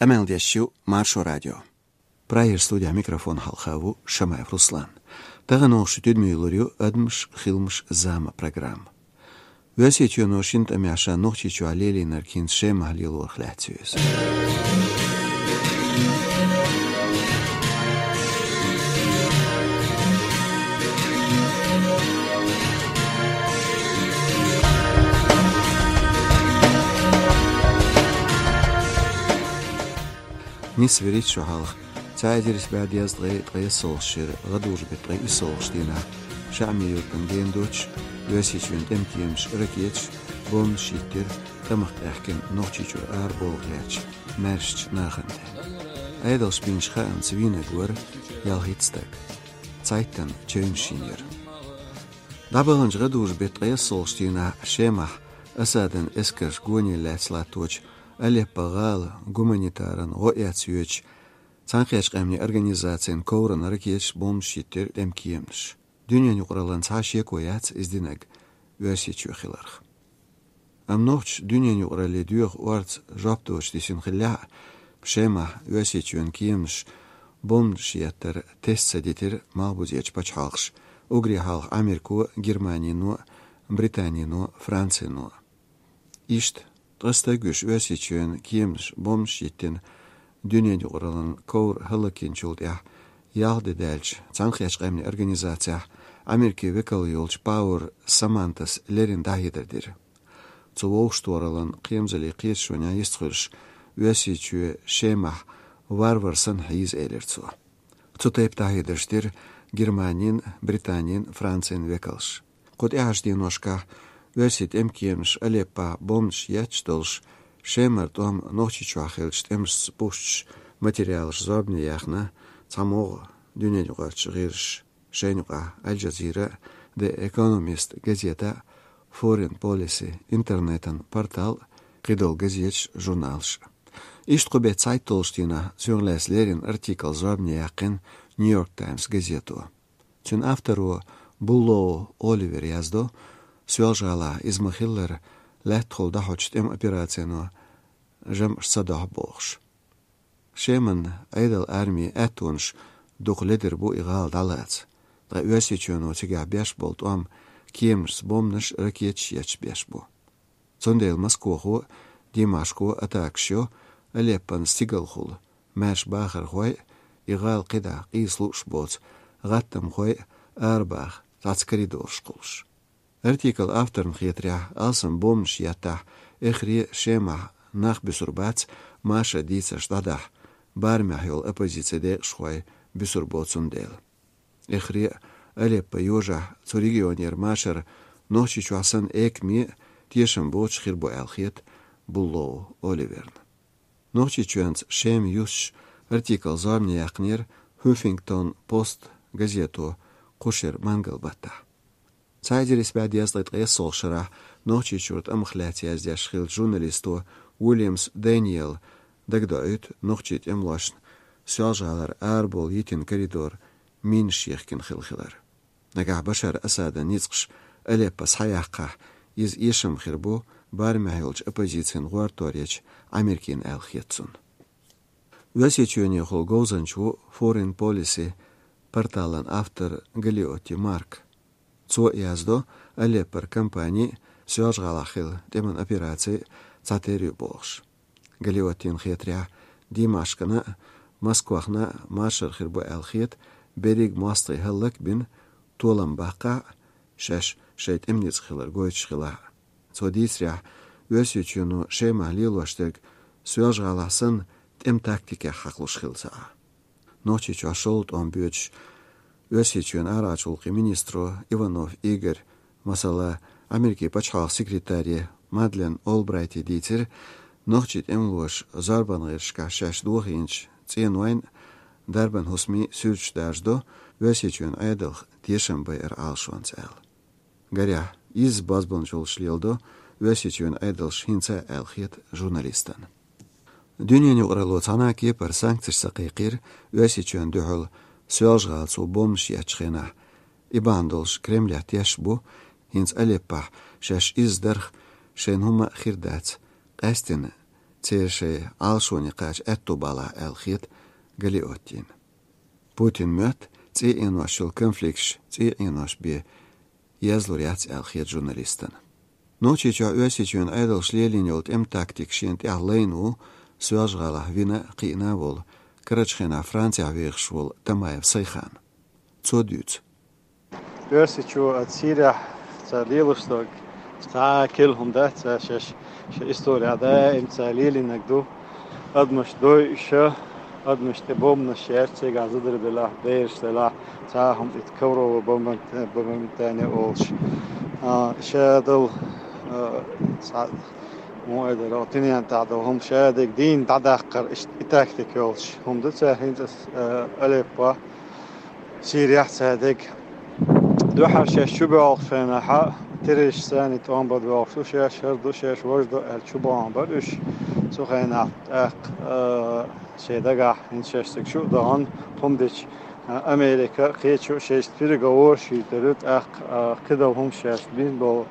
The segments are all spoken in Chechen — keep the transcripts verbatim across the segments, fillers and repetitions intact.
Къамел деш ю Маршо радио. Прагера студехь микрофон хьалха ву Шамаев Руслан. Тахана оха шуьга тидаме лур ю «Адамаш, хиламаш, зама» программа. Оьрсийчоьно шина тӀамехь ша Нохчийчохь лелийнарг хӀинца Шемахь лелорах лаьцна ю иза. Нийсвелла шу хьалха. Цхьа эзар исс бӀе дезткъе ткъайоьссалгӀачу шеран гӀадужу-беттан ткъе иссалгӀачу дийнахь ШаӀми-Юртана гена доцуш, Оьрсийчоьнан тӀеман кеманаш ракеташ, бомбанаш йиттира тӀамах къаьхкина Нохчийчуьра арабовла гӀертачу маьршачу нахана тӀе. Ӏедалша бинчу хаамца вийнарг вара ялхитта стаг. Цхьайттана чевнаш йинера. ДӀабаханчу гӀадужу-беттан ткъайоьссалгӀачу дийнахь Шемахь Асадан эскарша гонехь лаьцна латточу Алеппо-гӀала гуманитаран гӀо эцна йоьдучу Цхьаьнакхеттачу Къаьмнийн Организацин коврана ракеташ, бомбанаш йиттира тӀеман кеманаша. Дуьненан юкъараллин цхьа а шеко яц иза динарг Оьрсийчоь хиларх. Амма нохчаша дуьненан юкъараллин доьху орца жоп доцуш дисина хиллехь а, Шемахь Оьрсийчоьнан кеманаша бомбанаш еттар теста ца дитира малхбузерчу пачхьалкхаша, уггаре хьалха Америко, Германино, Британино, Францино. Иштта, ткъа стаг вуьйш Оьрсийчоьнан кеманаша бомбанаш йиттина дуьненан юкъараллин ковра хӀаллакйинчул тӀаьхьа, ялх де даьлча, Цхьаьнакхеттачу Къаьмнийн Организацехь Америкин векал йолчу Пауэр Самантас леррина дӀахьедар дира. Цу вовшахтохараллин кхерамзаллин кхеташонехь йистхуьлуш, Оьрсийчоь Шемахь варвар санна хьийза, элира цо. Цу тайпа дӀахьедарш дира Германин, Британин, Францин векалша. Кху тӀаьхьарчу деношкахь оьрсийн тӀеман кеманаш Алеппохь бомбанаш етташ долуш, Шемара тӀом Нохчийчохь хиллачу тӀемашца бухкучу материалаша зорбане яьхна цхьа могӀа дуьненаюкъарчу гӀирсаша, шайна юкъахь Аль-Джазира, The Economist газета, Foreign Policy интернетан портал, кхидолу газеташ, журналаш. Иштта кху беттан цхьайтталгӀачу дийнахь соьга лаьцна леррина артикл зорбане яьккхина Нью-Йорк Таймс газето. Цуьнан авторо Буллоу Оливера яздо, Соьлжа-ГӀалахь иза ма-хиллара лаьттахула дӀахьочу тӀеман операцино жамӀаш ца дохьу бохуш. Шеман Ӏедалан армин аьттонаш дукха ледара бу и гӀала дӀалаца, ткъа Оьрсийчоьно цигахь беш болу тӀом кеманашца бомбанаш, ракеташ етташ беш бу. Цундела Москохо, Димашко атакаш йо Алеппона стигалхула маьрша бахархой а, и гӀала кхидӀа къийса лууш боцу гӀаттамхой а арабаха цхьацца коридораш кхуллуш. Артиклан авторна хетарехь, алсам бомбанаш еттахь, эххар а Шемахь нах буьсур бац, машаран дийцарш дӀадахьа, барамехь йолу оппозицин декъашхой буьсур бу цундела. Эххар а Алеппо йожахь цу регионера машар Нохчийчохь санна экаме а, тешам боцуш хир бу аьлла хета Буллоу Оливерна. Нохчийчоьнца Шема юстуш артикл зорбане яьккхинера Huffington Post газето кху шеран мангал-баттахь. Цхьа эзар исс бӀе дезткъе ткъайоьссалгӀачу шарахь Нохчийчуьра тӀамах лаьцна яздеш хиллачу журналисто Уильямс Дэниела дагадоуьйту нохчийн тӀемалошна Соьлжа-ГӀалара арабовла йитина коридор минаш йихкина хилла хилар. Нагахь Башар Асадан ницкъаша Алеппо схьаяккхахь, иза эшам хир бу барамехь йолчу оппозицин гӀортор ечу Ӏамеркина аьлла хета цунна. Оьрсийчоьнехула говзанча ву Foreign Policy порталан автор Галиотти Марк. Цо яздо, Алеппора кампани а, Соьлжа-ГӀалахь хилла тӀеман операци а цхьатерра ю бохуш. Галиоттина хетарехь, Димашкана а, Москвахна а машар хир бу аьлла хета, берриг мостагӀий хӀаллакбина, толам баккхахь а, шаьш шайн тӀеман ницкъ хилар гойтуш хилахь а. Цо дийцарехь, Оьрсийчоьно Шемахь лелош дерг Соьлжа-ГӀалахь санна тӀеман тактикехь хьакхалуш хилла ца Ӏа. Нохчийчохь шолгӀа тӀом боьдуш Оьрсийчоьнан арахьарчу гӀуллакхийн министро Иванов Игорь, масала, Америкин пачхьалкхан секретаре Мадлен Олбрайте дийцира, нохчийн тӀемалоша зорбанан гӀирсашкахь шаьш дохийначу цӀенойн а, дарбан хӀусамийн а суьрташ даржадо, Оьрсийчоьнан Ӏедалх тешам байар Ӏалашонца аьлла. Гарехь, изза бозбуунчаллаш леладо Оьрсийчоьнан Ӏедалша хӀинца а аьлла хета журналистана. Дуьненан юкъаралло цхьана а кепара санкцеш ца кхайкхийра Оьрсийчоьнна дуьхьал Соьлжа-ГӀала цо бомбанаш еттачу хенахь. И бахьана долуш Кремлехь тешаш бу, хӀинца Алеппохь шаьш изза дарх шайна хӀумма а хир дац, къаьсттина Церан шайн Ӏалашоне кхача аьтту балахь аьлла хета Галиоттина. Путин моьтту цӀий Ӏенош йолу конфликташ цӀий Ӏенош бен езлур яц аьлла хета журналистана. Нохчийчохь Оьрсийчоьнан Ӏедалша лелийна йолу тӀеман тактика шена тӀехь лайна ву Соьлжа-ГӀалахь вина а, кхиъна а волу, карарчу хенахь Францехь вехаш волу Тамаев Сайхан. Цо дуьйцу. Оьрсийчоь оцу Сирехь цара лелош дерг цхьа а керла хӀума дац, цара шаьш шайн исторехь даим цара лелийнарг ду. Адамаш дойуш, адамаш тӀе бомбанаш яьрча, цигахь зударий белахь, бераш делахь, цхьа а хӀума, и ковровая бомбан-, бомбардирование олуш. А, шадолу, а, цхьа, муха эр дара, тинен тӀехь долу хӀума шадерг дийна дӀадаккхар, иштта и тактика йолуш хӀума ду цара хӀинца, а, Алеппо, Сирехь цара дерг. Дуьххьара шаьш чу боьлхучу хенахь, террористаш санна тӀом бан боьлхуш ду шаьш, хӀара ду шаьш, важа ду аьлла чу бахьана бара уьш. Цу хенахь тӀаккха, а, шайн дагахь хӀинца шаьш цига шу а дахана, хӀума дича, а, Америка кхечу шайшта переговораш йуьйтура, тӀаккха, а, кхидолу хӀума шаьш бина болу,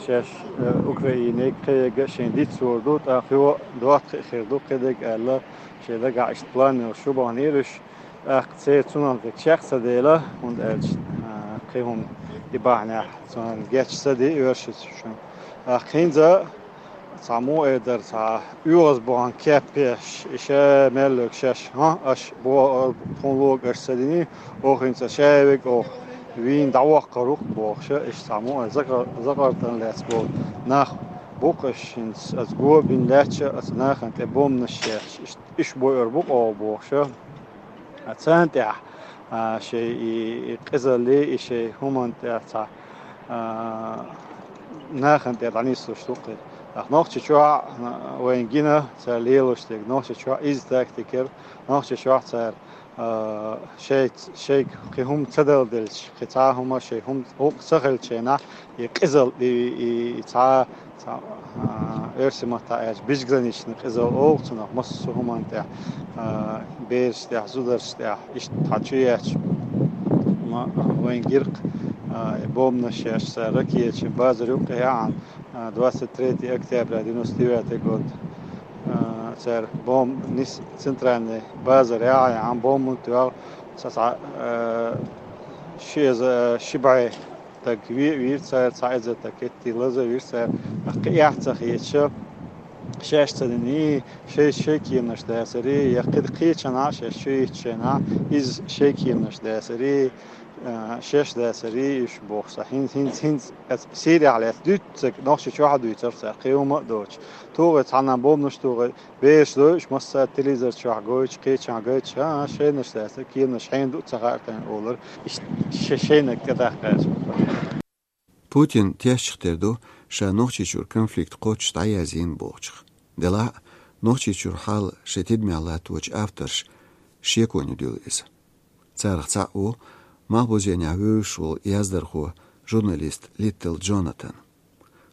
шаьш, а, Украинега кхиънарг шайна дицлур ду, тӀаккха йо, дохко хир ду кхидерг аьлла, шайн дагахь иштта план йолуш шу бахьанера уьш. ТӀаккха церан цунах дерг чекх ца дела, хӀунда аьлча, а, кхин хӀума и бахьанехь цунах гечдеш ца де оьрсичунна. ТӀаккха хӀинца цхьа муха эр дара, цхьа оьгӀаз бахьана кеппеш, и ша мел верг шаьш, хӀа, аша бо-, тхуна лоьгӀа аша ца дина, оха хӀинца ша верг оха вийна дӀавоккхур ву-кх бохуш, иштта цхьа муха эр закъа-, закъартана лаьцна болу нах бу-кх, аша хӀинца аса го а бина лаьтташ, аса нахана тӀе бомбанаш шаьш, иштта уьш бойур бу-кх оха бохуш. А царна тӀехь, а, шайн и, и къизаллий, и шайн хӀуманна тӀехь цхьа, а, нахана тӀе дӀанислуш ду-кх. ТӀаккха Нохчийчохь, а, вайна гина цара лелош дерг, Нохчийчохь изза тактика яра, Нохчийчохь цара, а, шайца, шайга кхин хӀума ца далделча, кхин цхьа а хӀума, шайн хӀума гӀуллакх ца хилча хенахь, и къизалла, и, и, и цхьа Цхьа, а, оьрсийн маттахь аьлча, безграничный къизалла олу цунах, массо а хӀуманна тӀехь, а, берашна тӀехь, зударшна тӀехь, иштта цхьа чу етташ. Ма, вайн гира-кх, а, бомбанаш еш цара ракеташна базар юккъе яхьана, а, двадцать третье октября девяносто девятый год, а, цара бомба нис центральный базар яхьа яхьана бомба тоьхна, цхьа, цхьа, а, ши эзар, ши бӀе стаг ве а вийра цара, цхьа эзар стаг кхетий лаза а вийра цара, кхин эхь ца хеташ, шаьш ца дина, шайн, шайн кеманаш дацара, я кхин кхечанхьа шаьш чу йитча шайна, иза шайн кеманаш дацара, а, шаьш дацара, уьш бохуш цхьа. ХӀинца, хӀинца, хӀинца аса Сирехь лаьцна дуьйцург Нохчийчохь а дуьйцура цара, кхин хӀума а доцуш. Тухий цхьанна бомбанаш тухий, бераш дойуш, массара телевизор чохь гойтуш, кхечанхьа гойтуш, а, шайнаш дацара, кеманаш хьенан ду ца хаьара тайна олура, иштта ше-, шайниг тӀедаккха аьлча. Путин тешчах тера ду, ша Нохчийчуьра конфликт кхоччуш дӀаязйина бохучух. Делахь а, Нохчийчуьра хьал шайн тидамехь латточу авторша шеконе дуьллу иза. Царах цхьаъ ву Малхбузенехь вевзаш волу яздархо, журналист Литтл Джонатан.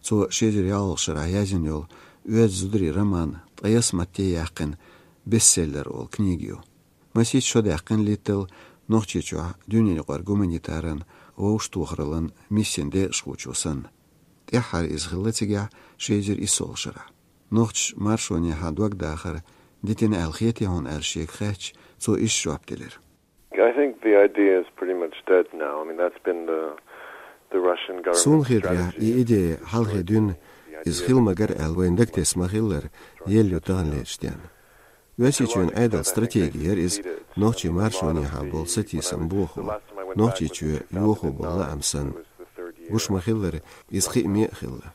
Цо ши эзар ялхалгӀачу шарахь язйина йолу «Оьзда зударий» роман ткъе ялх матте яьккхина бестселлер олу книга ю. Масийтта шо даьккхина Литтл Нохчийчохь дуьненаюкъара гуманитаран вовшахтохараллан миссин декъашхочо санна. ТӀаьххьара иза хилла цигахь ши эзар иссолгӀачу шарахь. Нохчаша маршонехьа дог дахар дитина аьлла хетий хьуна аьлла шега хаьттича, цо иштта жоп делира. I think the idea is pretty much dead now. I mean, that's been the, the Russian government's strategy. Суна хетарехь, и идея хьалхе дуьйна, иза хила магара аьлла вайна дагатесна ма-хиллара, елла ю таханлерчу денна. Оьрсийчоьнан Ӏедалан стратеги яра иза, нохчийн маршонехьа болу сатийсам бохо, Нохчийчоь йохо болу лаам санна. Гуш ма-хиллара, иза кхиаме а хилла.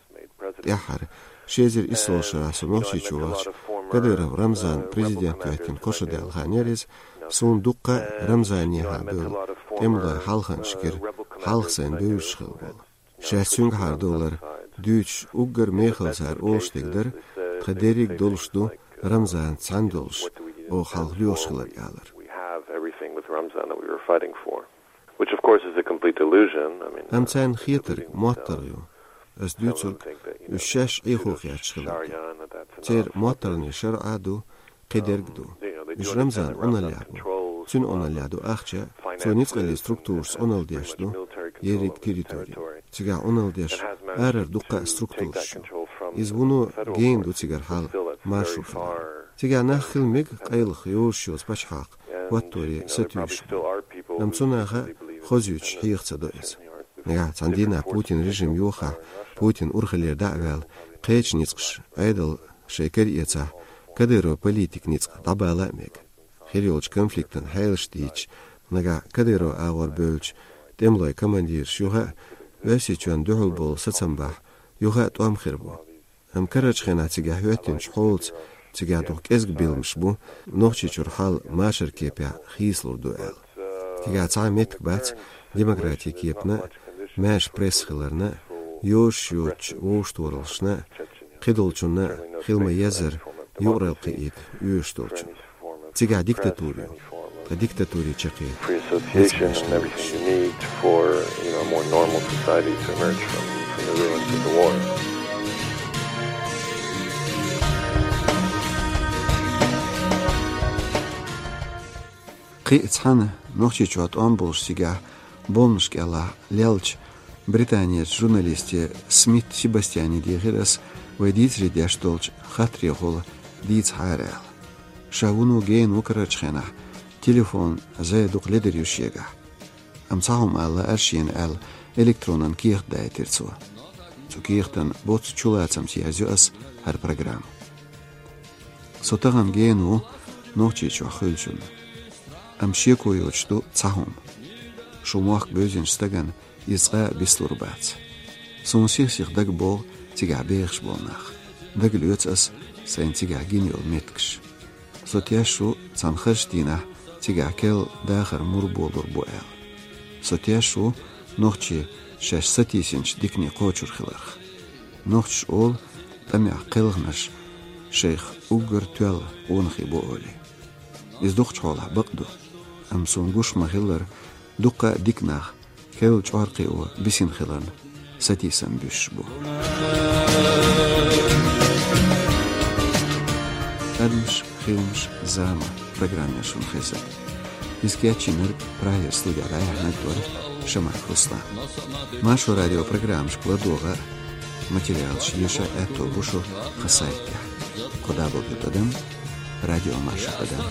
ТӀаьххьара, ши эзар иссолгӀачу шарахь со Нохчийчу вахча, Кадыров Рамзан президент хӀоьттина кхо шо даьлла хан яра иза, суна дуккха а Рамзанехьа бевлла тӀемалойн хьалханаш гира, хьалха сайна бевзаш хилла болу. Шаьш цуьнгахьара довлар дуьйцуш уггар мехала цара олуш дерг дара, тхан дерриг а долуш ду, Рамзан цхьаьна долуш, оха хьалха лоьхуш хилар алар. We have everything with Ramzan that we were fighting for. Which, of course, is a complete illusion. I mean, Амма царна хетарг моттаргӀа ю. Ас дуьйцург, уьш шаьш Ӏехо хеташ хиларг ю. Церан моттаргӀанийн шарӀа а ду, кхидерг а ду. Уьш Рамзанна Ӏуналлехь бу. Цуьнан Ӏуналлехь ду ахча, цо ницкъаллин структурашца Ӏуналла деш ду ерриг территори. Цигахь Ӏуналла деш арара дуккха а структураш ю. Иза вуно гена ду цигара хьал. маршрут. Цигахь нах хила мега къайлаха йозуш йоцу пачхьалкх хӀотторе сатуьйсуш бу. Амма цу наха хозуьйтуш хьеха ца до иза. Нагахь цхьана дийнахь Путин режим йохахь, Путин урхаллера дӀа а ваьлла, кхечу ницкъаша Ӏедал шайн кара эцахь, Кадыров политик ницкъ дӀабала а мега. Хир йолчу конфликтан хьелаш дийцча, нагахь Кадыров агӀор бевллачу тӀемалойн командираш юха а, Оьрсийчоьнна дуьхьал болу сацам бахь, юха а тӀом хир бу. Амма карарчу хенахь цигахь хӀоьттинчу хьолаца, цигахь дукха кӀезиг билмаш бу, Нохчийчуьра хьал машаран кепехь хийцалур ду аьлла. Цигахь цхьа а меттиг бац демократин кепана а, маьрша пресса хиларна а, йозуш йоцучу вовшахтохараллашна а, кхидолчунна а хила ма-еззара юкъаралла кхиийта оьшуш долчунна. Цигахь диктатура ю. Ткъа диктатуре чаккхе Free association and everything you need for, you know, a more normal society to emerge from, from the ruins of the war. Кхин а цхьана Нохчийчохь тӀом болуш цигахь болнаш кӀелахь леллачу британерчу журналисте Смит Себастьяне дийхира ас вай дийцаре деш долчу хаттарехула дийцахьара аьлла. Ша вуно гена ву карарчу хенахь, телефон зӀе дукха ледара ю шегахь. Амма цхьа хӀума ала лаьара шена аьлла, электронан кехат дайтира цо. Цу кехатан боцца чулацамца ерзайо ас хӀара программа. Со тахана гена ву Нохчийчохь хуьлучунна. Амма шеко йоцуш ду цхьа хӀума. Шу мохк бевзинчу стагана иза цкъа а бицлур бац. Суна сих-сиха дага богӀу цигахь бехаш болу нах. Дага лоьцу ас сайна цигахь гина йолу меттигаш. Со теш ву цхьана харш дийнахь цигахь керла дахар мур болур бу аьлла. Со теш ву нохчий шаьш сатийсинчу дикане кхочур хиларх. Нохчаша олу тӀамехь кхелхинарш шайх уггар тоьлла къонахий бу олий. Иза дукхачу хьолахь бакъ ду, амма суна гуш ма-хиллара, дуккха а дика нах керла чӀор кхио бисина хиларна сатийсам буьсуш бу. Адамаш, хиламаш, зама программера шуна хезира. Иза кечйинарг, Прагера студехь дӀаяьхьнарг вара Шамаев Руслан. Маршо радион программашка ладогӀа а, материалаш еша а аьтто бу шу тхан сайтехь. Кху дабл ю тӀадам радио маршо тӀадам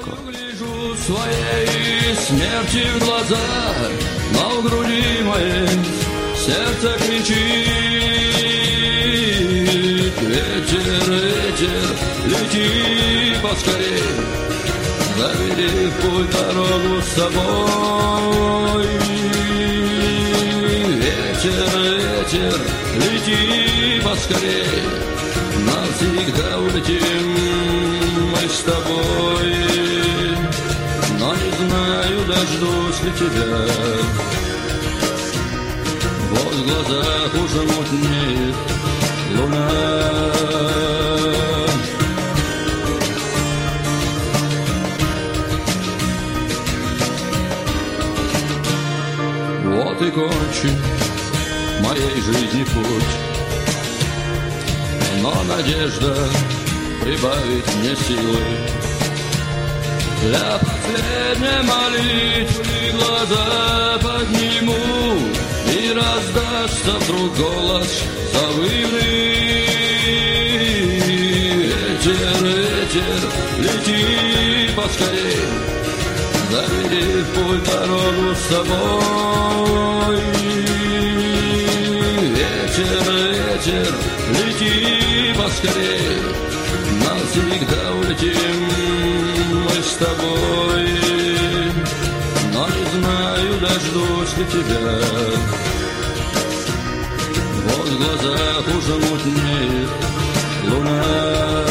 ком. Гляжу своей смерти в глаза, но в груди моей сердце кричит: ветер, ветер, лети поскорей, забери в путь дорогу с собой. Ветер, ветер, лети поскорей, навсегда улетим мы с тобой. Но не знаю, дождусь ли тебя. Вот в глазах уже мутнеет луна. Вот и кончен моей жизни путь. Но надежда прибавит мне силы. Для последней молитвы глаза подниму, и раздастся вдруг голос завывный. Ветер, ветер, лети поскорей, забери в путь дорогу с собой. Ветер, ветер, лети поскорей, навсегда улетим мы с тобой. Но не знаю, дождусь ли тебя. Вот в глазах уже мутнеет луна.